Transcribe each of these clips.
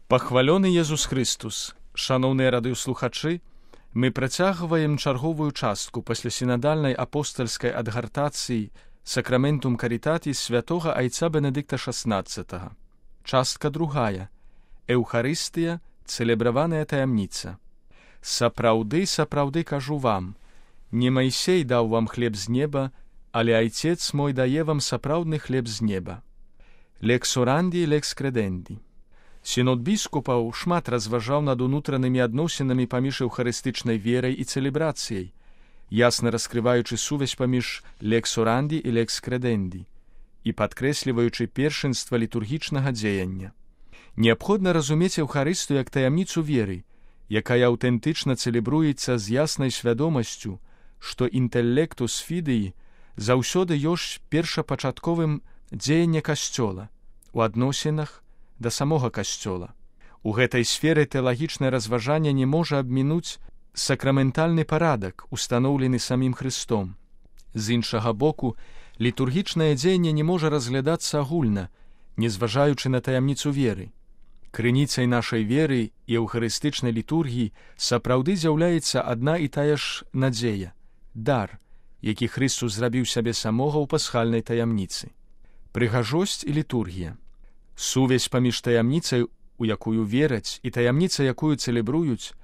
Пахвалёны Езус Христус! Шаноўныя радыёслухачы, мы працягваем чарговую частку пасля сінадальнай апостальскай адгартацыі Сакраментум Карітатіс святога айца Бенедыкта XVI. Частка другая. Еўхарыстыя, цэлебраваная таямніца. Сапраўды, сапраўды кажу вам, не Майсей даў вам хлеб з неба, але Айцец мой дае вам сапраўдны хлеб з неба. Лекс оранди, лекс креденди. Сінод біскупаў шмат разважаў над унутранымі адносінамі паміж еўхарыстычнай верай і цэлебрацыяй, ясна раскрываючы сувязь паміж лекс оранди і лекс креденди і падкрэсліваючы першынства літургічнага дзеяння. Неабходна разумець еўхарыстыю як таямніцу веры, якая аўтэнтычна цэлебруецца з яснай свядомасцю, што інтэлектус фідеі заўсёды ёсць першапачатковым дзеяння касцёла, у адносінах да самога касцёла. У гэтай сферы тэалагічнае разважанне не можа абмінуць сакраментальны парадак, устаноўлены самім Христом. З іншага боку, літургічнае дзеянне не можа разглядацца агульна, не зважаючы на таямніцу веры. Крыніцай нашай веры і еўхарыстычнай літургіі сапраўды з'яўляецца адна і тая ж надзея, дар, які Христус зрабіў сябе самога ў пасхальнай таямніцы. Прыгажосць і літургія. Сувязь паміж таямніцай, у якую вераць, і таямніцай, якую цэлебруюць,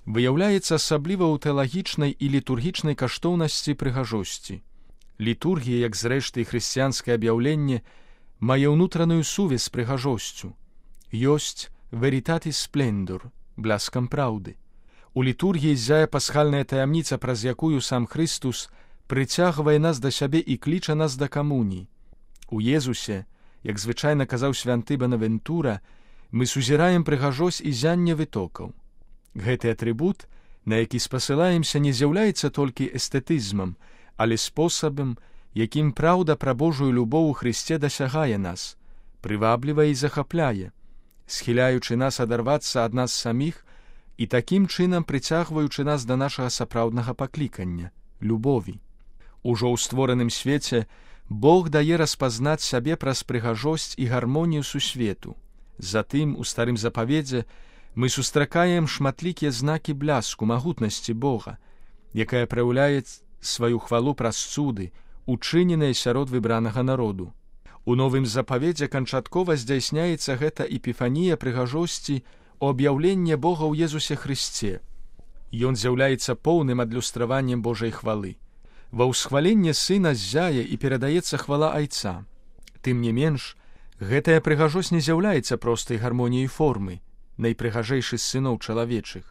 выяўляецца асабліва ў тэалагічнай і літургічнай каштоўнасці прыгажосці. Літургія, як зрэшты і хрысціянскае аб'яўленне, мае ўнутраную сувязь з прыгажосцю. Ёсць veritatis splendor, бляскам праўды. У літургіі ззяе пасхальная таямніца, праз якую сам Христус прыцягвае нас да сябе і кліча нас да камуніі. У Езусе, як звычайна казаў свянты Бонавентура, мы сузіраем прыгажосць і зянне вытокаў. Гэты атрыбут, на які спасылаемся, не з'яўляецца толькі эстэтызмам, але спосабам, якім праўда пра Божую любоў у Христе дасягае нас, прываблівае і захапляе, схіляючы нас адарвацца ад нас саміх і такім чынам прыцягваючы нас да нашага сапраўднага паклікання — любові. Ужо ў створаным свеце Бог дае распазнаць сябе праз прыгажосць і гармонію сусвету. Затым, у старым запаведзе, мы сустракаем шматлікія знакі бляску, магутнасці Бога, якая праяўляе сваю хвалу праз цуды, учыненыя сярод выбранага народу. У новым запаведзе канчаткова здзяйсняецца гэта эпіфанія прыгажосці ў аб'яўленне Бога ў Езусе Христе. Ён з'яўляецца поўным адлюстраваннем Божай хвалы. Ва ўсхваленне Сына ззяе і перадаецца хвала Айца. Тым не менш, гэтая прыгажосць не з'яўляецца простай гармоніяй формы, найпрыгажэйшы з сыноў чалавечых.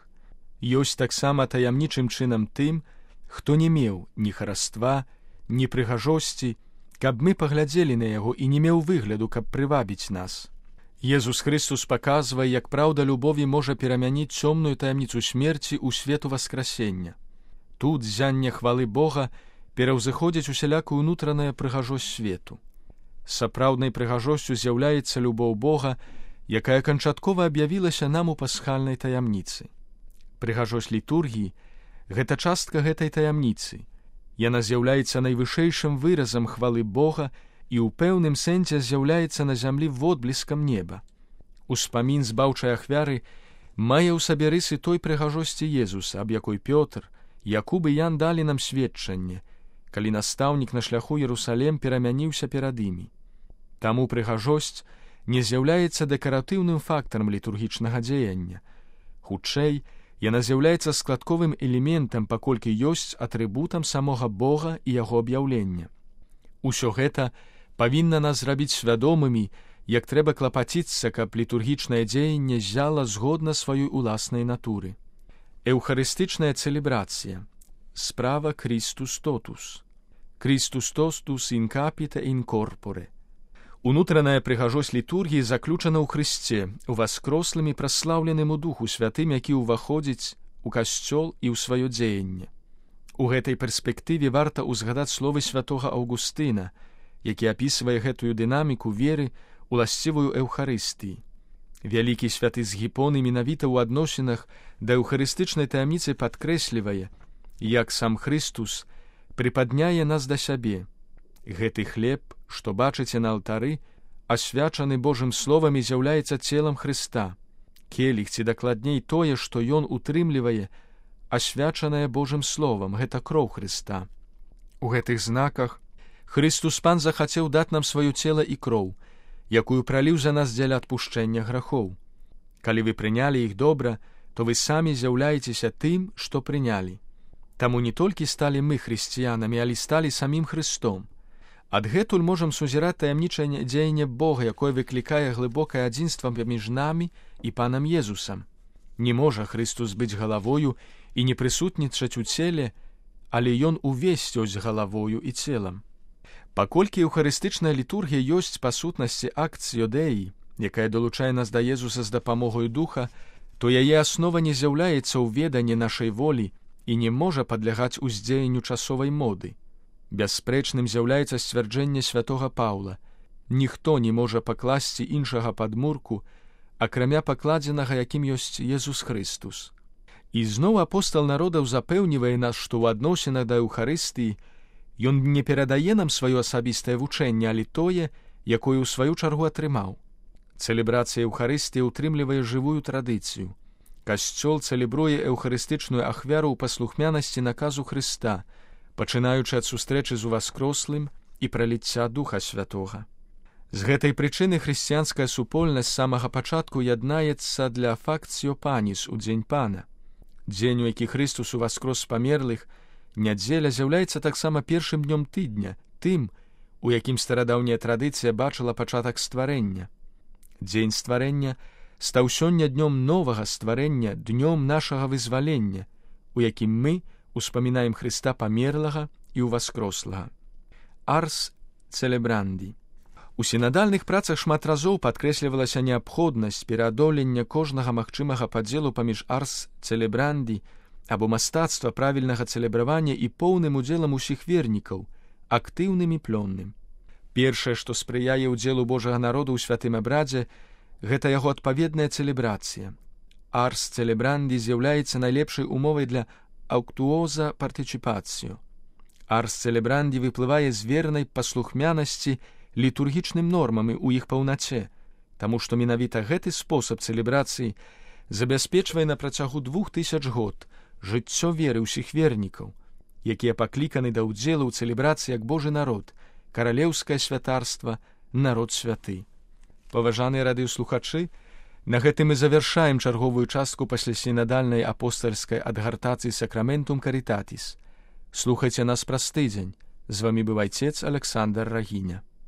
Ёсць таксама таямнічым чынам тым, хто не меў ні хараства, ні прыгажосці, каб мы паглядзелі на яго і не меў выгляду, каб прывабіць нас. Езус Христус паказвае, як праўда любові можа перамяніць цёмную таямніцу смерці ў свету васкрасення. Тут зянне хвалы Бога пераўзыходзіць усялякую ўнутраная прыгажосць свету. Сапраўднай прыгажосцю з'яўляецца любоў Бога, якая канчаткова аб'явілася нам у пасхальнай таямніцы. Прыгажосць літургіі — гэта частка гэтай таямніцы. Яна з'яўляецца найвышэйшым выразам хвалы Бога і ў пэўным сэнсе з'яўляецца на зямлі водбліскам неба. Успамін збаўчай ахвяры мае ў сабе рысы той прыгажосці Езуса, аб якой Пётр, Якуб і Ян далі нам сведчанне, калі настаўнік на шляху Ерусалем перамяніўся перад імі. Таму прыгажосць не з'яўляецца дэкаратыўным фактарам літургічнага дзеяння. Хутчэй, яна з'яўляецца складковым элементам, паколькі ёсць атрыбутам самога Бога і яго аб'яўлення. Усё гэта павінна нас зрабіць свядомымі, як трэба клапаціцца, каб літургічнае дзеянне ззяла згодна сваёй уласнай натуры. Еўхарыстычная цэлебрацыя. Справа Christus totus. Christus totus in capite in corpore. Унутраная прыгажосць літургіі заключана ў Христе, у васкрослым і праслаўленым у Духу Святым, які ўваходзіць у касцёл і ў сваё дзеянне. У гэтай перспектыве варта ўзгадаць словы святога Аўгустына, які апісвае гэтую дынаміку веры, уласцівую Еўхарыстыі. Вялікі святы Згіпон менавіта ў адносінах да еўхарыстычнай таямніцы падкрэслівае, як сам Христус прыпадняе нас да сябе. Гэты хлеб, што бачыце на алтары, асвячаны Божым словам і з'яўляецца целам Хрыста. келіх, ці дакладней тое, што ён утрымлівае, асвячанае Божым словам, гэта кроў Хрыста. У гэтых знаках Христус Пан захацеў даць нам сваё цела і кроў, якую праліў за нас дзеля адпушчэння грахоў. Калі вы прынялі іх добра, то вы самі з'яўляецеся тым, што прынялі. Таму не толькі сталі мы хрысціянамі, але сталі самім Христом. Адгэтуль можам сузіраць таямнічае дзеянне Бога, якое выклікае глыбокае адзінства паміж намі і Панам Езусам. Не можа Христус быць галавою і не прысутнічаць у целе, але ён увесь ёсць галавою і целам. Паколькі еўхарыстычная літургія ёсць па сутнасці акт Йодеі, якая далучае нас да Езуса з дапамогай духа, то яе аснова не з'яўляецца ў веданні нашай волі і не можа падлягаць уздзеянню часовай моды. Бясспрэчным з'яўляецца сцвярджэнне святога Паўла: ніхто не можа пакласці іншага падмурку, акрамя пакладзенага, якім ёсць Езус Христус. І зноў апостал народаў запэўнівае нас, што ў адносінах да Еўхарыстыі ён не перадае нам сваё асабістае вучэнне, але тое, якое ў сваю чаргу атрымаў. Цэлебрацыя Еўхарыстыі ўтрымлівае жывую традыцыю. Касцёл цэлебруе эўхарыстычную ахвяру ў паслухмянасці наказу Хрыста, пачынаючы ад сустрэчы з уваскрослым і праліцця Духа Святога. З гэтай прычыны хрысціянская супольнасць з самага пачатку яднаецца для факцыё паніс у дзень Пана. Дзень, у які Христус уваскрос з памерлых, нядзеля з'яўляецца таксама першым днём тыдня, тым, у якім старадаўняя традыцыя бачыла пачатак стварэння. Дзень стварэння стаў сёння днём новага стварэння, днём нашага вызвалення, у якім мы успамінаем Хрыста памерлага і ўваскрослага. Арс цэлебранді. У сінадальных працах шмат разоў падкрэслівалася неабходнасць пераадолення кожнага магчымага падзелу паміж арс цэлебранді або мастацтва правільнага цэлебравання і поўным удзелам усіх вернікаў, актыўным і плённым. Першае, што спрыяе ўдзелу Божага народу ў святым абрадзе, гэта яго адпаведная цэлебрацыя. Арс цэлебранді з'яўляецца найлепшай умовай для аўктуоза партыцыпацыю. Арс цэлебранді выплывае з вернай паслухмянасці літургічным нормам у іх паўнаце, таму што менавіта гэты спосаб цэлебрацыі забяспечвае на працягу 2000 год жыццё веры ўсіх вернікаў, якія пакліканы да ўдзелу ў цэлебрацыі як Божы народ, каралеўскае святарства, народ святы. Паважаныя радыёслухачы, на гэтым мы завяршаем чарговую частку паслясінадальнай апостальскай адгартацыі Сакраментум Карітатіс. Слухайце нас праз тыдзень. З вамі быў айцец Александр Рагіня.